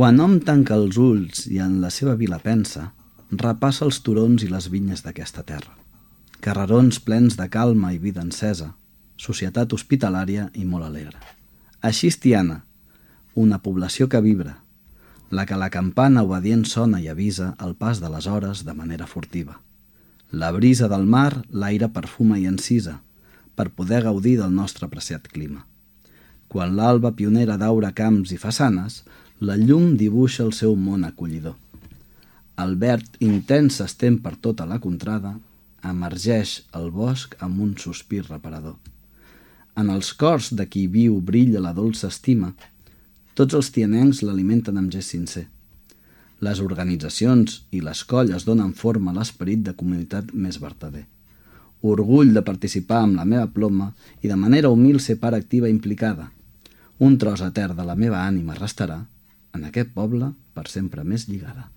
Quan hom tanca els ulls i en la seva vila pensa, repassa els turons i les vinyes d'aquesta terra. Carrerons plens de calma i vida encesa, societat hospitalària i molt alegre. Així és Tiana, una població que vibra, la que la campana obedient sona i avisa el pas de les hores de manera furtiva. La brisa del mar l'aire perfuma i encisa, per poder gaudir del nostre apreciat clima. Quan l'alba pionera daura camps i façanes, la llum dibuixa el seu món acollidor. El verd intens s'estén per tota la contrada, emergeix el bosc amb un sospir reparador. En els cors de qui viu brilla la dolça estima, tots els tianencs l'alimenten amb gest sincer. Les organitzacions i les colles donen forma a l'esperit de comunitat més vertader. Orgull de participar amb la meva ploma i de manera humil ser part activa i implicada. Un tros etern de la meva ànima restarà en aquest poble per sempre més lligada.